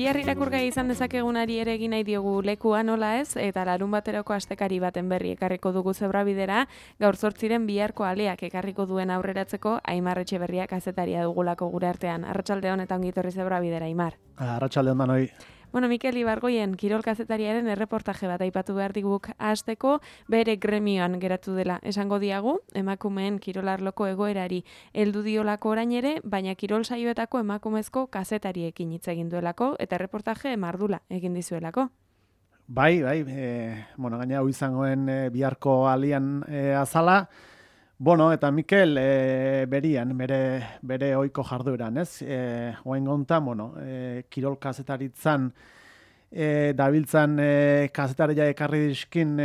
Bihar irakurgai izan dezakegunari ere egin nahi diogu lekua nola ez, eta larun baterako astekari baten berri ekarriko dugu Zebrabidera, gaur 8 biharko aleak ekarriko duen aurreratzeko Aimar Etxeberria kazetaria dugulako gure artean. Arratsaldeon eta ongi etorri Zebrabidera, Aimar. Arratsaldeon danoi. Bueno, Mikel Ibargoien kirol kazetariaren erreportaje bat aipatu behar diguk hasteko, bere gremioan geratu dela. Esango diagu, emakumeen kirolarloko egoerari heldu diolako orain ere, baina kirol saioetako emakumezko kazetariekin hitz egin duelako eta erreportaje mardula egin dizuelako. Bai, gaina hau izangoen biharko alian azala. Bueno, eta Mikel berian, bere ohiko jardueran, ez? Oain gontan, kirol kazetaritzan dabiltzan kazetaria ekarri dizkin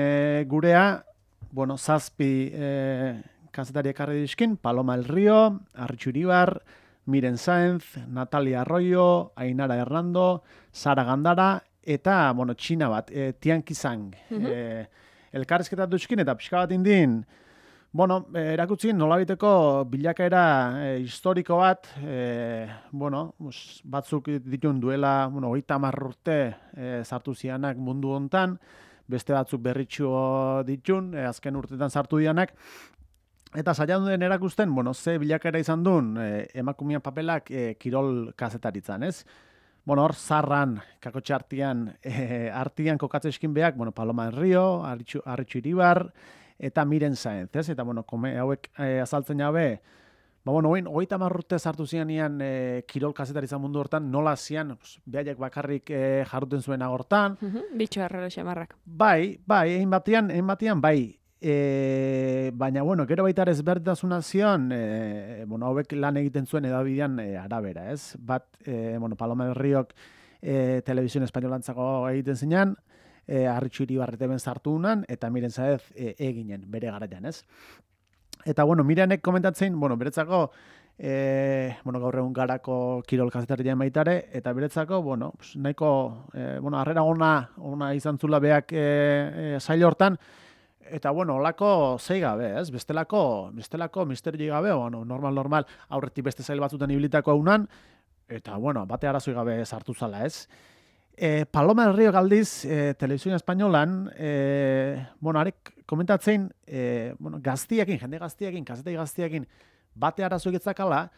gurea, 7 kazetari ekarri dizkin, Paloma El Río, Arritxu Iribar, Miren Sáenz, Natalia Arroyo, Ainara Hernando, Sara Gandara, eta, txina bat, Tian Qisang. Elkarrizketatu dizkin, eta pixka bat indin, erakutsin nolabiteko bilakaera historiko bat, batzuk ditun duela, 30 urte sartu zianak mundu hontan, beste batzuk berritxu ditun, azken urtetan sartu dianak, eta saiatu den erakusten, ze bilakaera izan duen emakumean papelak kirol kazetaritzan, ez? Hor, zarran, kakotxe artian kokatzeskin beak, Paloma El Río, Arritxu Iribar, eta Miren Sáenz, ez? Eta, hauek azaltzen jabe, 30 urte sartu zianean kirol kazetaritza mundu hortan, nola zian, behaiek bakarrik jarruten zuen agortan. Bitxo errero xamarrak. Bai, egin batian, bai. Baina, gero baita ezberdintasuna zion, hauek lan egiten zuen edabidean arabera, ez? Bat, Paloma del Riok Televisión Espainolantzako egiten zinean, Arritxu Iribar ben sartu unan, eta Miren Sáenz eginen, bere garaian, ez? Eta, Mirenek komentatzen, beretzako, gaur egun garako kirol kazetarien baitare, eta beretzako, nahiko, harrera ona izan zula beak sail hortan, eta, olako zei gabe, ez? Bestelako misterio gabe, normal, aurretik beste zail batzuten ibilitako haunan, eta, bate arazoi gabe sartu zala, ez? Paloma El Río galdiz, Televisión Espainolan, arek komentatzen, jende gaztiekin, kazetei gaztiekin, bate arazoi getzakala,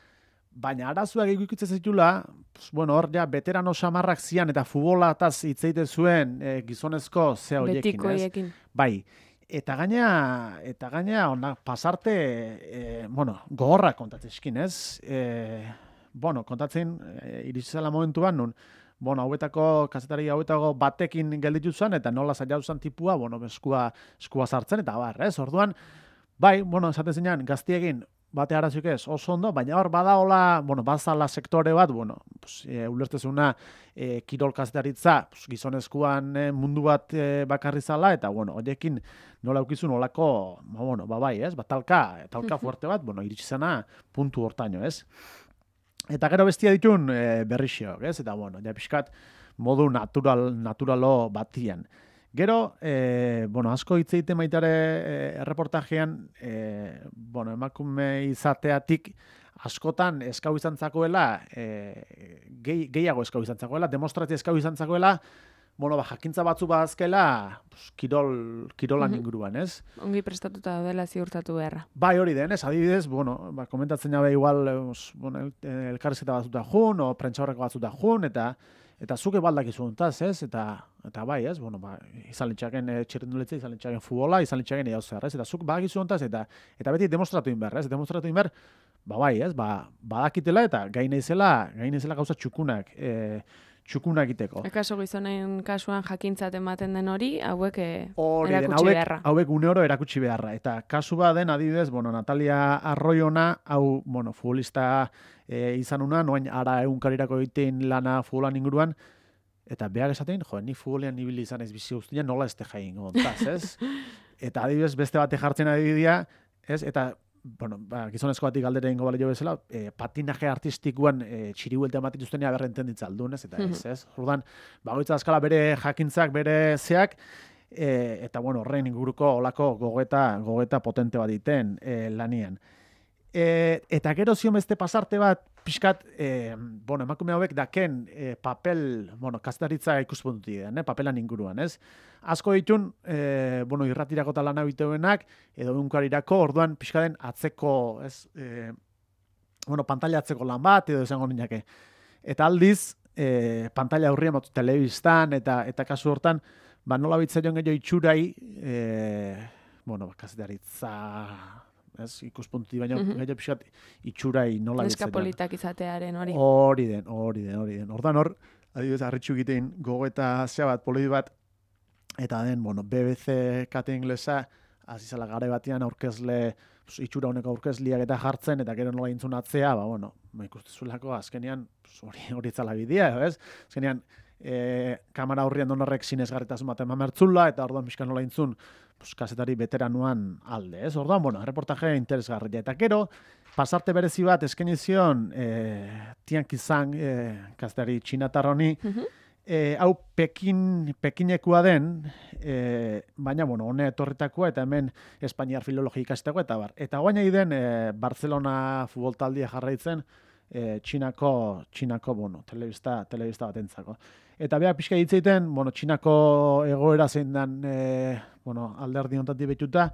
baina arazoak ikutzen zitula, hor ja, veterano samarrak zian, eta futbolataz hitzeite zuen gizonezko zea horiekin, ez? Betikoiekin. Bai. Eta gaina, pasarte, gogorrak kontatzeskin, ez? Kontatzen, iritsela momentuan, nun, kazetari hauetako batekin gelditu zen, eta nola zaila zan tipua, eskua sartzen, eta ez? Orduan, bai, esaten zinean, gaztiekin, bate arazoik ez, oso ondo, baina hor badaola, bazala sektore bat, ulertezuna kirol kazetaritza, gizonezkoan mundu bat bakarri zala, eta, horiekin nola eukizun olako, bai, ez? Talka fuerte bat, iritsi zena puntu hortaino, ez? Eta gero bestia ditun berrixiok, ez? Eta, ja pixkat modu naturalo batian. Gero, asko hitz egiten baitare erreportajean, emakume izateatik askotan eskau izan zakoela, gehiago eskau izan zakoela, demonstrazio eskau izan zakoela, jakintza batzu bazkela kirolan inguruan, ez? Ongi prestatuta dela ziurtatu beharra. Bai, hori den, ez? Adibidez, komentatzen jabe igual, elkarrizketa batzuta jun, o prentsaurreko batzuta jun, eta zuke baldak izuntaz, ez? Eta bai, ez? Izan litxaken txirrenduletze, izan litxaken futbola, izan litxaken eau zer, ez? Eta zuk badak izuntaz, eta beti demostratu inber, ez? Demostratu inber, bai, ez? Badakitela eta gainezela gauza txukunak egiteko. Ekaso gizonen kasuan jakintzat ematen den hori, hauek erakutsi beharra. Hauek uneoro erakutsi beharra. Eta kasu baden, adibidez, Natalia Arroyona, hau, futbolista izan una, noain ara egunkarirako egiten lana futbolan inguruan, eta behar esaten, ni futbolean ibili izan ez bizi guztian, nola ez te jain gontaz, ez? Eta adibidez, beste bate jartzen adibidea, ez? Eta gizonezko batik galdera ingo balio bezala, patinaje artistikoan txiribueltea matituztenea berrenten ditzaldun, ez? Eta ez? Orduan, bagoitza askala bere jakintzak, bere zeak, eta horren inguruko olako gogeta potente bat diten lanian. Eta gero zion beste pasarte bat, pixkat, emakume hauek daken papel, kazetaritza ikuspuntutik den, papelan inguruan, ez? Asko ditun, irratirako talan habiteuenak, edo unkarirako, orduan pixkaten atzeko, ez, pantalla atzeko lan bat, edo esango niñake. Eta aldiz, pantalla aurrian, telebistan, eta kasu hortan, nola bitzaion gehiago itxurai, kazetaritza... Ez, ikuspuntutik baina gaita pixat itxurai nola bitzaion. Neskapolitak izatearen hori. Hori den. Ordan hor, adibidez, harritxu egitein gogoeta zea bat, politi bat, eta den, BBC kate inglesa, azizala gare batean aurkezle, itxura honeko aurkezliak eta jartzen, eta gero nola intzun atzea, ikustezulako azkenean, hori zala bidea, ez? Azkenean, kamera horrian donorrek sinesgarritasun baten mamertzula, eta orduan pixka nola intzun, kazetari veteranuan alde, ez? Orduan, reportaje interesgarria. Eta gero, pasarte berezi bat eskenizion Tiankizang kazetari txinatarroni, hau Pekinekua den, baina, hone etorritakoa, eta hemen Espainiar filologia ikasteko, eta bar. Eta guaina den Barcelona futbol taldia jarraitzen, Txinako, telebista batentzako. Eta beha pixka hitzeiten, Txinako egoera zein dan, alderdi ontatik betuta,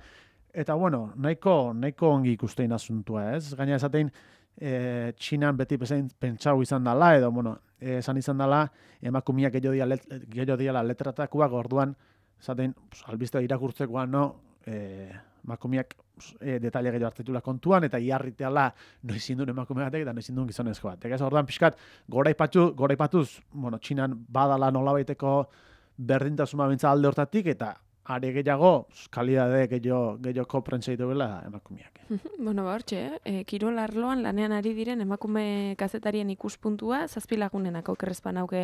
eta, nahiko ongi ikustein asuntua, ez? Gaina esatein, Txinan beti pentsau izan dela, edo, esan izan dela, emakumiak gehiago diala letratakoak, orduan, esatein, albiste irakurtzekoa, emakumiak detaile gehiago hartitula kontuan, eta iarriteala noizin duen emakume batek, eta noizin duen gizonezko batek. Ez orduan pixkat, goraipatuz, Txinan badala nolabaiteko berdintasuna bintza alde hortatik, eta are gehiago, kalidade gehiago prentsa dituela emakumeak. Hortxe, kirol arloan lanean ari diren emakume kazetarien ikuspuntua, 7 lagunenako okerrezpan hauke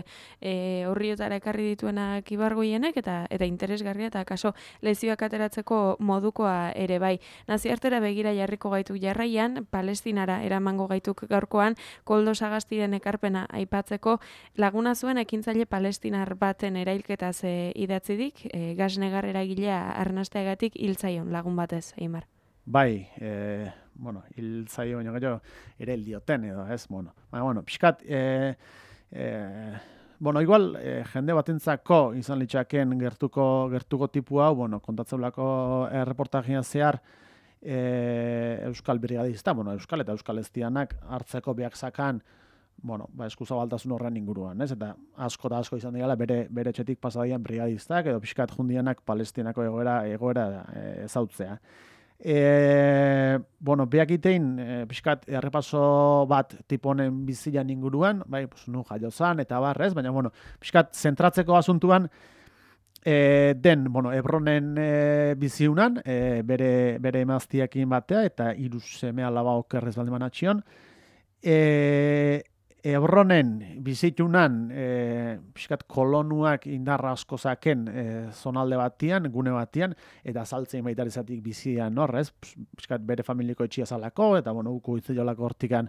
horriotara ekarri dituenak Ibargoienek, eta interesgarria, eta kaso lezioak ateratzeko modukoa ere bai. Nazioartera begira jarriko gaituk jarraian, Palestinara eramango gaituk gaurkoan, Koldo Sagastiren ekarpena aipatzeko, laguna zuen ekintzaile palestinar baten erailketaz idatzidik, gasnegar eragilea arnasteagatik hiltzaion lagun batez, Eimar. Bai, hiltzaio baina gero ere dioten edo, ez, pixkat, igual, jende batentzako izan litzaken gertuko tipu hau, kontatzeulako erreportajea zehar, Euskal Brigadista, Euskal eta Euskal Eztianak hartzeko beak zakan, eskuzabaltasun horren inguruan, ez? Eta asko izan dira bere etxetik pasadaian brigadistak, edo pixkat jundianak Palestinako egoera ezautzea. Beak itein, pixkat errepaso bat tiponen bizilan inguruan, nu jaiozan eta barrez, baina, pixkat zentratzeko asuntuan, Hebronen biziunan, bere emaztiakin batea, eta 3 seme alaba okerrez baldeman atxion, Hebronen bizitunan pixkat kolonuak indarra asko zaken zonalde batian, gune batian, eta saltzein baitarizatik bizian horrez, pixkat bere familiko etxia zalako, eta uko itzeiolako hortikan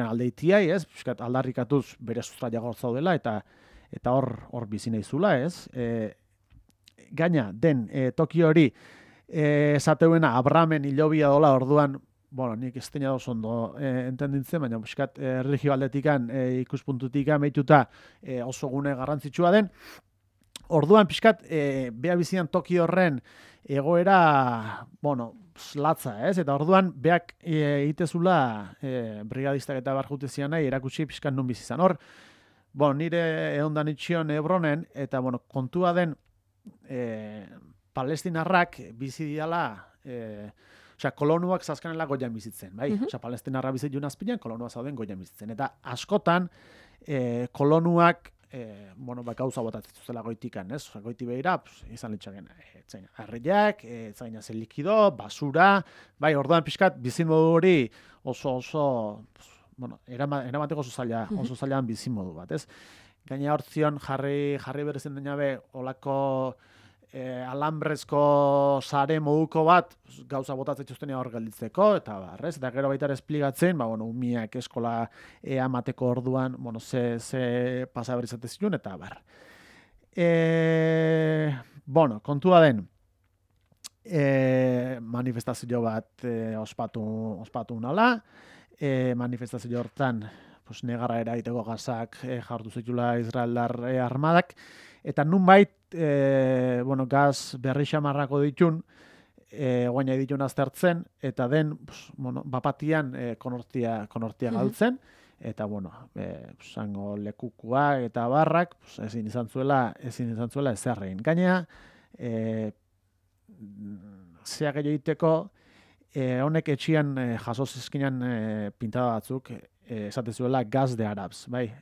aldeitiai, ez? Pixkat aldarrikatuz bere sustraia gortzaudela, eta hor bizi naizula, ez? Gaina, den toki hori esateuena Abramen hilobia dola orduan, nik ez teina oso ondo entendintzen, baina pixkat erlijio aldetikan ikuspuntutikan behituta oso gune garrantzitsua den. Orduan pixkat beha bizian toki horren egoera, latza, ez? Eta orduan beak egitezula brigadistak eta barjutezian nahi erakutsi pixkat nun bizizan. Hor, nire egondan itxion Hebronen, eta kontua den palestinarrak bizi diala kolonuak zazkanela goian bizitzen, bai? Palestinarra bizitzen azpilan, kolonuak zauden goian bizitzen. Eta askotan, kolonuak, gauza botatzen zuzela goitikan, ez? Goiti behira, izan litzaken, harriak, zaina zen likido, basura, bai, orduan pixkat, bizin modu hori oso, eramateko oso zailan bizin modu bat, ez? Gaina hortzion jarri berezen denabe, olako alambrezko sare moduko bat gauza botatzen txustenea hor gelditzeko, eta barrez, eta gero baita esplikatzen, umiak eskola amateko orduan, ze pasa berizate zilun, eta bar. Kontua den, manifestazio bat ospatu nala, manifestazio hortan pues, negara eraiteko gazak jartu zitula Israeldar armadak, eta nunbait, gaz berri xamarrako ditun, guaina ditun aztertzen, eta den, bapatian konortia galtzen, eta zango lekukua eta barrak ezin izan zuela ezerrein. Gainea, zeak egiteko, honek etxian jaso zizkinan pintada batzuk, esate zuela gaz de arabs, bai,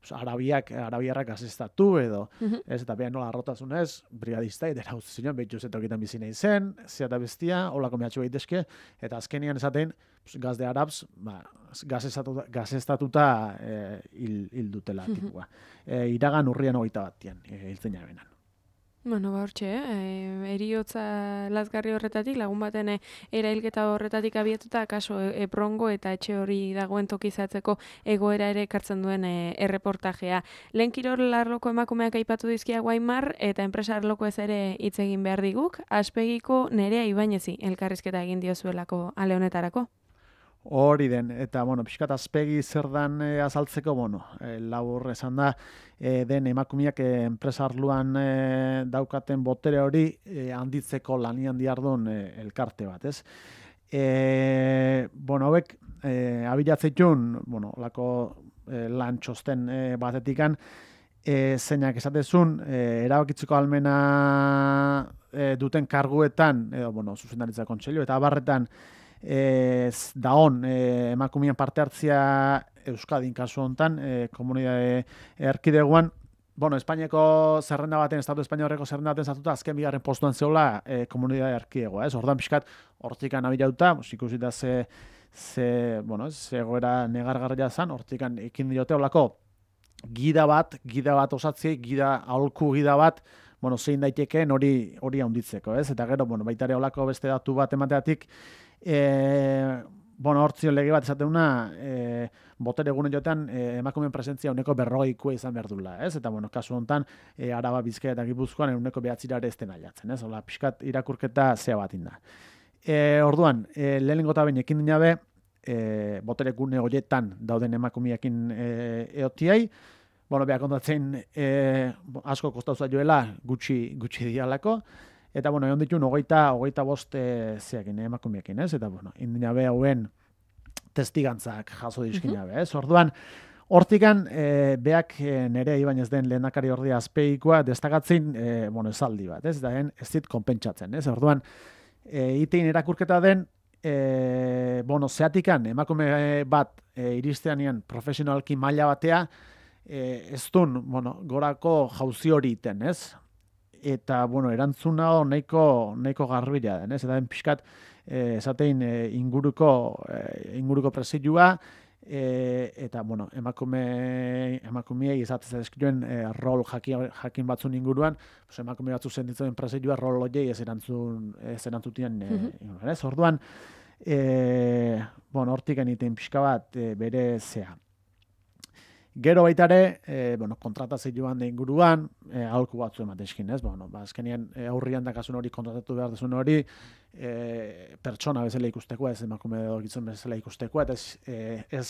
arabiarrak gazestatu edo, ez, eta behan nola arrotasunez, brigadista, edera uste zinon, behitu zetokitan bizina izen, zeata bestia, holako mehatxu behitezke, eta azkenian esaten, gaz de arabs, gazestatuta hil dutela tipua. Iragan urrian 21 hiltzen jabenan. Bueno, hortxe, eriotza lazgarri horretatik, lagun baten erailketa horretatik abiatuta, kaso Eprongo eta etxe hori dagoen tokizatzeko egoera ere ekartzen duen erreportajea. Lehen kirol arloko emakumeak aipatu dizkia Guaimar, eta enpresa arloko ez ere hitz egin behar diguk, Aspegiko Nerea Ibañezi elkarrizketa egin diozuelako ale honetarako. Hori den, eta, pixkat Aspegi zer dan azaltzeko, labur esan da, den emakumeak enpresarluan daukaten botere hori handitzeko lanian diardun elkarte bat, ez? Hauek, abilatzeitun, lako lan txosten batetikan, zeinak esatezun, erabakitzeko almena duten karguetan, edo, zuzendaritza kontseilu, eta abarretan, daon emakumean parte hartzia Euskadin kasu hontan, komunidade erkideguan, Espainiako zerrenda baten, Estatu Espainiarreko zerrenda baten zartuta, azken bigarren postuan zeola komunidade erkidegoa, ez? Ordan pixkat, hortikan abilauta, ikusita ze egoera negargarria zan, hortikan ekin diote olako gida bat osatzei, aholku gida bat, zein daitekeen hori handitzeko, ez? Eta gero, baita ere olako beste datu bat emateatik, hortzio lege bat esateuna, botere egunen jotean emakumeen presentzia uneko 40 izan behar dula, ez? Eta, kasu honetan, Araba, Bizkaia eta Gipuzkoan uneko 9 ere ez den ailatzen, ez? Ola, pixkat irakurketa zea bat inda. Orduan, lehenengo eta behin ekin dinabe, botere gune horietan dauden emakumeekin eotiai, behar kontatzen asko kostauza joela gutxi dialako, eta, egon ditun, hogeita bost zeakin, emakumeekin, ez? Eta, indinabe hauen testigantzak jaso dizkinabe, ez? Orduan, hortikan, beak nere Ibañez den lehendakari ordia Azpeikoa destakatzen, esaldi bat, ez? Eta ez dit konpentsatzen, ez? Orduan, itein erakurketa den, zeatikan, emakume bat iristeanean profesionalki maila batea, ez dun, gorako jauzi hori iten, ez? Eta, erantzuna nahiko garbila den, ez? Eta den pixkat, esatein inguruko presidua, eta, emakumeei esatzen ezkioen rol jakin batzun inguruan, emakume batzu zenditzen presidua rol horiei ez erantzutien, ez? Orduan, hortik egiten pixka bat bere zea. Gero baitare, kontratazioan da inguruan, aholku batzu ematezkin, ez? Azkenean aurrian dakasun hori kontratatu behar duzun hori, pertsona bezala ikusteko, ez emakume edo gizon bezala ikusteko, eta ez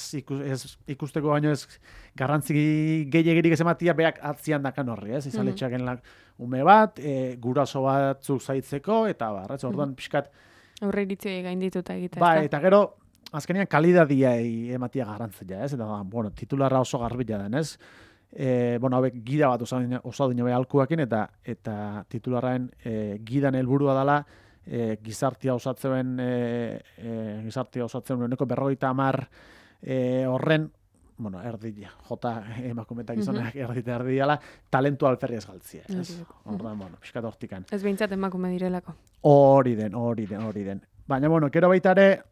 ikusteko baino ez garrantzi gehiagirik ez ematia beak atzian dakan horri, ez? Izaletxaken ume bat, guraso batzuk zaitzeko, eta barretz, orduan pixkat... Aurre iritzio gaindituta egitea. Ba, eta gero, azkenean kalidadiai ematia garrantzia, ez? Eta, titularra oso garbila den, ez? Hauek gida bat oso dine alkuakin, eta titularraen gidan helburua dela gizartia osatzen uneko 50 horren, erdi, jota emakumetak izonak erdi dela, talentu alferri ez galtzia, ez? Horren, pixkat hortikan. Ez behintzat emakume direlako. Hori den. Baina, gero baitare,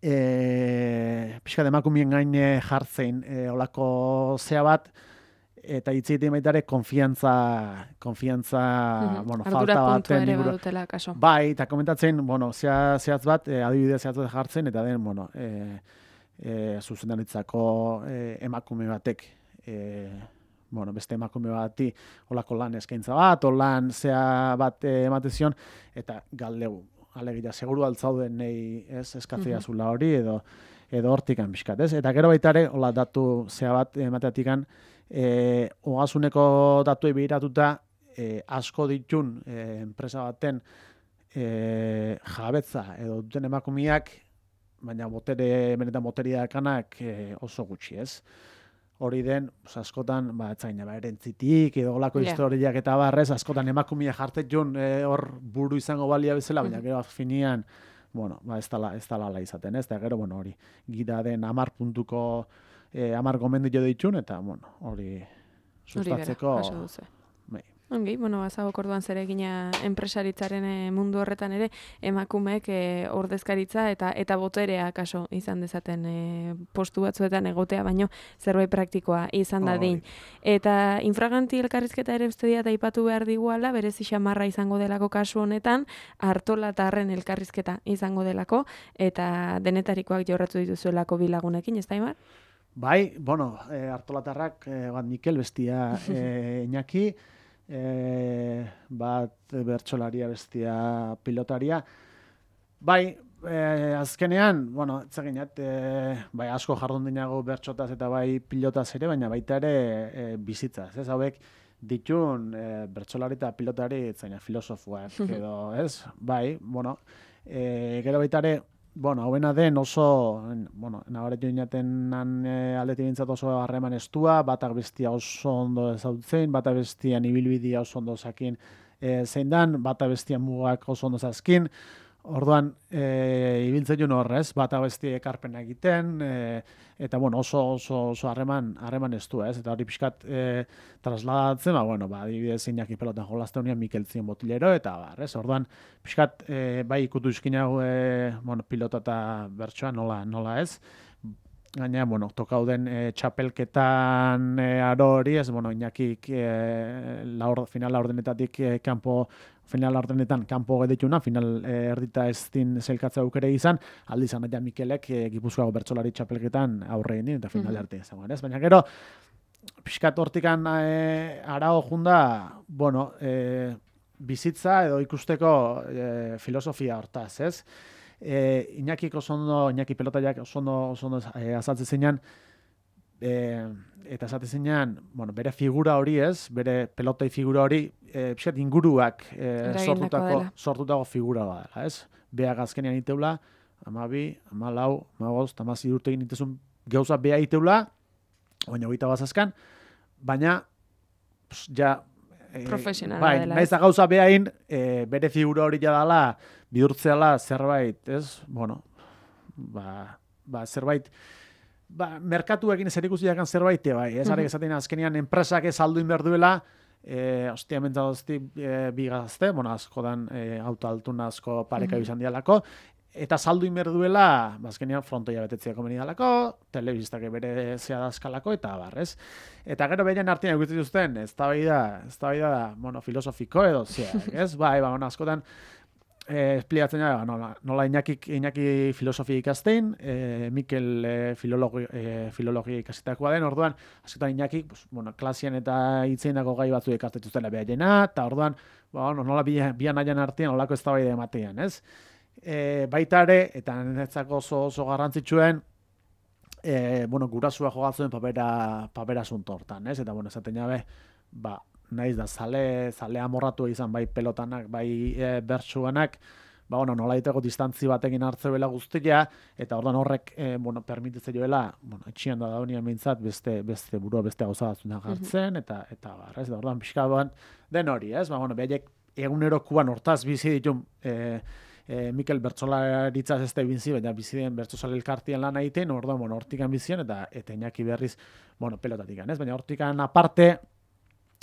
pixkat emakumien gain jartzein olako zea bat, eta hitzeiten baitare konfiantza falta baten ere badutela kaso. Bai, eta komentatzen, zehatz bat, adibidea zehatz bat jartzen, eta den, zuzendaritzako emakume batek bueno, beste emakume bati olako lan eskaintza bat, olan zea bat emate zion, eta galdegu, alegia, seguru altzauden nahi eskatzea zula hori, edo hortikan pixkat, ez? Eta gero baita ere, hola datu zea bat emateatikan, ogasuneko datuei begiratuta, asko ditun enpresa baten jabetza edo duten emakumeak, baina benetan boteria dakanak oso gutxi, ez? Hori den, askotan, etzaina, erentzitik, edo olako historiak eta barrez, askotan emakumea jartet joan hor buru izango balia bezala, baina gero finian, bueno, ez dala izaten, ez? Eta gero, bueno, hori, gida den 10 puntuko 10 gomendio ditun, eta, bueno, hori sustatzeko... Ongi, bueno, bazagok orduan zeregina enpresaritzaren mundu horretan ere, emakumeek ordezkaritza eta boterea kaso izan dezaten postu batzuetan egotea, baino zerbait praktikoa izan dadin. Eta infraganti elkarrizketa ere uste diat aipatu behar diguala, berezi xamarra izango delako kasu honetan, Artolatarren elkarrizketa izango delako, eta denetarikoak jorratu dituzuelako bilagunekin, ez da, Imar? Bai, bueno, Artolatarrak, bat Mikel, bestia Iñaki, bat bertsolaria bestia pilotaria. Bai, azkenean, bueno, etzaginat, bai asko jardun dinago bertsotaz eta bai pilotaz ere, baina baita ere bizitzaz, ez? Hauek ditun bertsolari eta pilotari etzaina filosofoak edo, ez? Bai, bueno, gero baita ere, bueno, hauena den oso, bueno, nabare joinaten aldetik bintzat oso harreman estua, batak bestia oso ondo ezautzen, batak bestian ibilbidea oso ondo zakin zein dan, batak bestian mugak oso ondo zazkin, orduan ibiltzen joan horrez, batak bestia ekarpena egiten, eta bueno, oso harreman estua, ez? Eta hori pixkat trasladatzen, bueno, adibidez Iñaki pelotan jolazte honean Mikel Zien botilero, eta ez? Orduan, pixkat bai ikutu izkinago pilota eta bertsoa nola ez? Gaina, bueno, tokauden txapelketan aro hori, ez, bueno, Iñakik final laurdenetatik final laurdenetan kanpo gedituna, final erdita ez din zelkatza aukere izan, aldi izan eta Mikelek Gipuzkoako bertsolari txapelketan aurre egin eta final arte izango, ez? Baina gero, pixkat hortikan arao junda, bueno, bizitza edo ikusteko filosofia hortaz, ez? Iñaki pelotaiak oso ondo azaltzen zeinan, eta esate zeinan, bueno, bere figura hori ez, bere pelotai figura hori, pixkat inguruak sortutako figura badela, ez? Beak azkenean iteula, 12, 14, 15, 16 urte egin itezun gauza bea iteula, baina 21 bazazkan, baina, ja, profesionala dela. Naiz da gauza behain, bere figura hori jadala, bihurtzeala zerbait, ez? Bueno, zerbait, merkatuekin zerikusiakan zerbait, bai, ez? Arek esaten azkenean enpresak ez alduin behar duela, hostia mentzadozti bigazte, bueno, askodan auto altuna asko pareka izan dialako, eta saldu inber duela, azkenean frontoia betetzea komeni dalako, telebistak bere zea dazkalako, eta barrez. Eta gero behian artean egutzen duzten, ez da, bueno, filosofiko edo, ez? Bai, askotan, esplikatzen nola Iñaki filosofia ikastein, Mikel filologia ikasitakoa den, orduan, askotan Iñaki, bueno, klasian eta hitzeinako gai batzu ikastetuztela behaiena, eta orduan, nola bian aian artean, nolako ez da bai ematean, ez? Baita ere, eta netzako oso garrantzitsuen, bueno, gurasua jogatzen papera asunto hortan, ez? Eta, bueno, esaten jabe, naiz da, zale amorratu izan bai pelotanak, bai bertsuanak, bueno, nola diteko distantzi batekin hartzeuela guztia, eta orduan horrek, bueno, permititze joela, bueno, etxian da daunian mintzat, beste burua, beste gauza batzunak hartzen, eta barrez, da orduan pixka den hori, ez? Bueno, behaiek egunerokuan hortaz bizi ditun, Mikel bertsolaritzaz ez da binzi, baina bizi den bertsozale elkartien lan egiten, orduan, bueno, hortikan bizian, eta Iñaki berriz, bueno, pelotatik, ez? Baina hortikan aparte,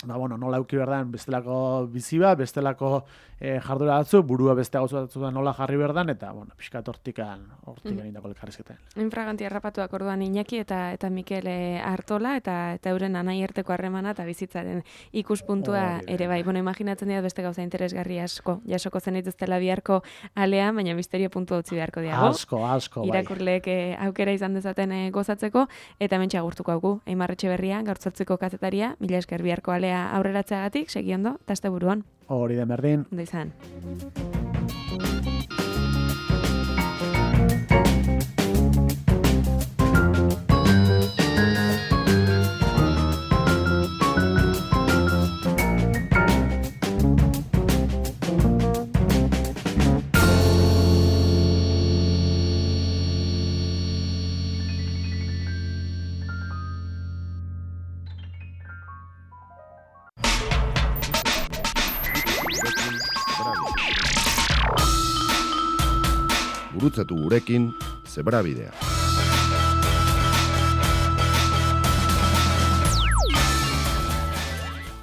nola euki berdan bestelako bizi bat, bestelako jardura batzu, burua beste gauza batzutan nola jarri berdan, eta, pixkat hortikan egindako elkarrizketan. Infraganti harrapatuak orduan Iñaki eta Mikel Artola, eta euren anaierteko harremana eta bizitzaren ikuspuntua ere bai. Imaginatzen dira beste gauza interesgarri asko. Jasoko zen dituztela biharko alea, baina misterio puntu utzi beharko diago. Asko, bai. Irakurleek aukera izan dezaten gozatzeko, eta hementxe agurtuko haugu. Eimar Etxeberria, gaur 8ko kazetaria, mila esker biharko alea aurreratzeagatik, segiondo, eta azte buruan. Hori den berdin. Ondo izan. Gurutzatu gurekin Zebrabidea.